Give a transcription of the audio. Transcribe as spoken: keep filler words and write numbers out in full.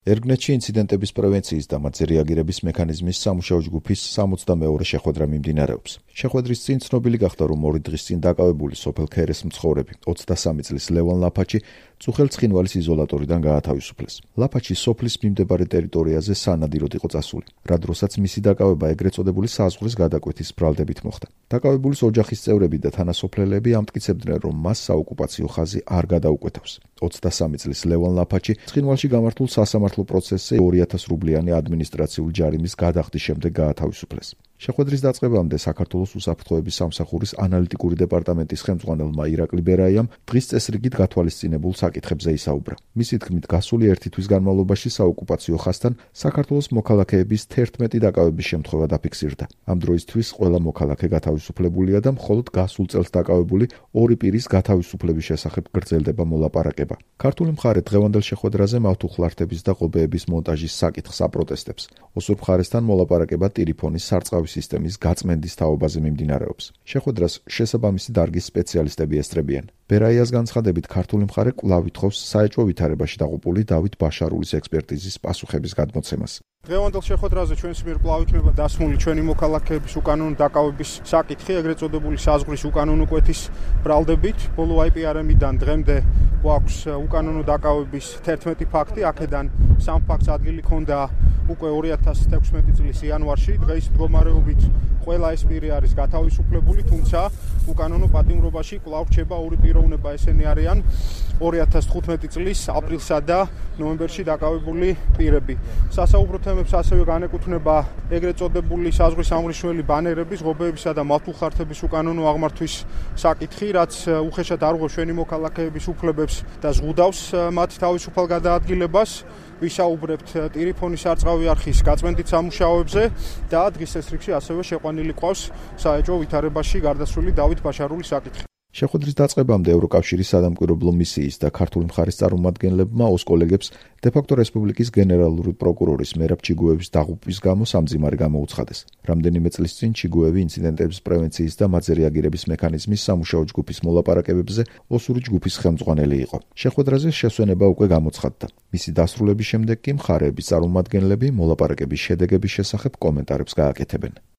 ერგნეთში ინციდენტების პრევენციის და მათზე რეაგირების მექანიზმის სამუშაო ჯგუფის სამოცდამეორე შეხვედრა მიმდინარეობს. შეხვედრის წინ ცნობილი გახდა, რომ ორი დღის წინ დაკავებული სოფელ ქერეს მცხოვრები ოცდასამი წლის ლევან ლაფაჩი წუხელ-ცხინვალის იზოლატორიდან გაათავისუფლეს. ლაფაჩი სოფლის მიმდებარე ტერიტორიაზე სანადიროდ იყო წასული, რა დროსაც მისი დაკავება ეგრეთ წოდებული საზღვრის გადაკვეთის ბრალდებით მოხდა. დაკავებულის ოჯახის წევრები და თანასოფლელები ამტკიცებდნენ, რომ მას საოკუპაციო ხაზი არ გადაუკვეთავს. ოცდასამი წლის ლევან ლაფაჩი ცხინვალში გამართულ სასამართლო პროცესზე ორი ათას რუბლიანი ადმინისტრაციული ჯარიმის გადახდის შემდეგ გაათავისუფლეს. შეხვედრის დაწყებამდე საქართველოს უსაფრთხოების სამსახურის ანალიტიკური დეპარტამენტის ხელმძღვანელმა ირაკლი ბერაიამ დღის წესრიგით გათვალისწინებულ საკითხებზე ისაუბრა. მისი თქმით, გასული ერთი თვის განმავლობაში საოკუპაციო ხაზთან საქართველოს მოქალაქეების თერთმეტი დაკავების შემთხვევა დაფიქსირდა. ამ დროისთვის ყველა მოქალაქე გათავისუფლებულია და მხოლოდ გასულ წელს დაკავებული ორი პირის გათავისუფლების შესახებ გრძელდება მოლაპარაკება. ქართული მხარე დღევანდელ შეხვედრაზე მავთუხლართების და ღობეების მონტაჟის საკითხს აპროტესტებს. ოსურ მხარესთან მოლაპარაკება ტირიფონის სარწყავი სისტემის გაწმენდის თაობაზე მიმდინარეობს. შეხვედრას შესაბამისი დარგის სპეციალისტები ესწრებიან. ბერაიას განცხადებით, ქართული მხარე კვლავ ითხოვს საეჭვო ვითარებაში დაყრდნილი დავით ბაშარულის ექსპერტიზის პასუხების გადმოცემას. დღევანდელ შეხვედრაზე ჩვენს მიერ კვლავ იქნება დასმული ჩვენი მოქალაქეების უკანონო დაკავების საკითხი, ეგრეთ წოდებული საზღვრის უკანონო კვეთის ბრალდებით. ბოლო აი პი არ ემიდან დღემდე გვაქვს უკანონო დაკავების თერთმეტი ფაქტი, აქედან სამ ფაქტს ადგილი ჰქონდა უკვე ორი ათას თექვსმეტი წლის იანვარში. დღეს მდგომარეობით ყველა ეს პირი არის გათავისუფლებული, თუმცა უკანონო პატიმრობაში კვლავ რჩება ორი პიროვნება, ესენი არიან ორი ათას თხუთმეტი წლის აპრილსა და ნოემბერში დაკავებული პირები. სასაუბრო თემებს ასევე განეკუთვნება ეგრეთ წოდებული საზღვრის ამღრიშველი ბანერების, ღობეებისა და მავთუხლართების უკანონო აღმართვის საკითხი, რაც უხეშად არ უღებს ჩვენი მოქალაქეების უფლებებს და ზღუდავს მათ თავისუფალ გადაადგილებას. ვისაუბრებთ ტირიფონის სარწყავი არხის გაწმენდით სამუშაოებზე და დღის წესრიგში ასევე შეყვანილი ყავს საეჭვო ვითარებაში გარდაცვლილი დავით ბაშარულის საკითხი. შეხვედრის დაწყებამდე ევროკავშირის სადამკვირვებლო მისიის და ქართული მხარის წარმომადგენლებმა ოს კოლეგებს დე-ფაქტო რესპუბლიკის გენერალური პროკურორის მერაბ ჩიგუევის დაღუპვის გამო სამძიმარი გამოუცხადეს. რამდენიმე წლის წინ ჩიგუევი ინციდენტების პრევენციის და მათზე რეაგირების მექანიზმის სამუშაო ჯგუფის მოლაპარაკებებზე ოსური ჯგუფის ხელმძღვანელი იყო. შეხვედრაზე შესვენება უკვე გამოცხადდა. მისი დასრულების შემდეგ კი მხარეების წარმომადგენლები მოლაპარაკების შედეგების შესახებ კომენტარებს გააკეთებენ.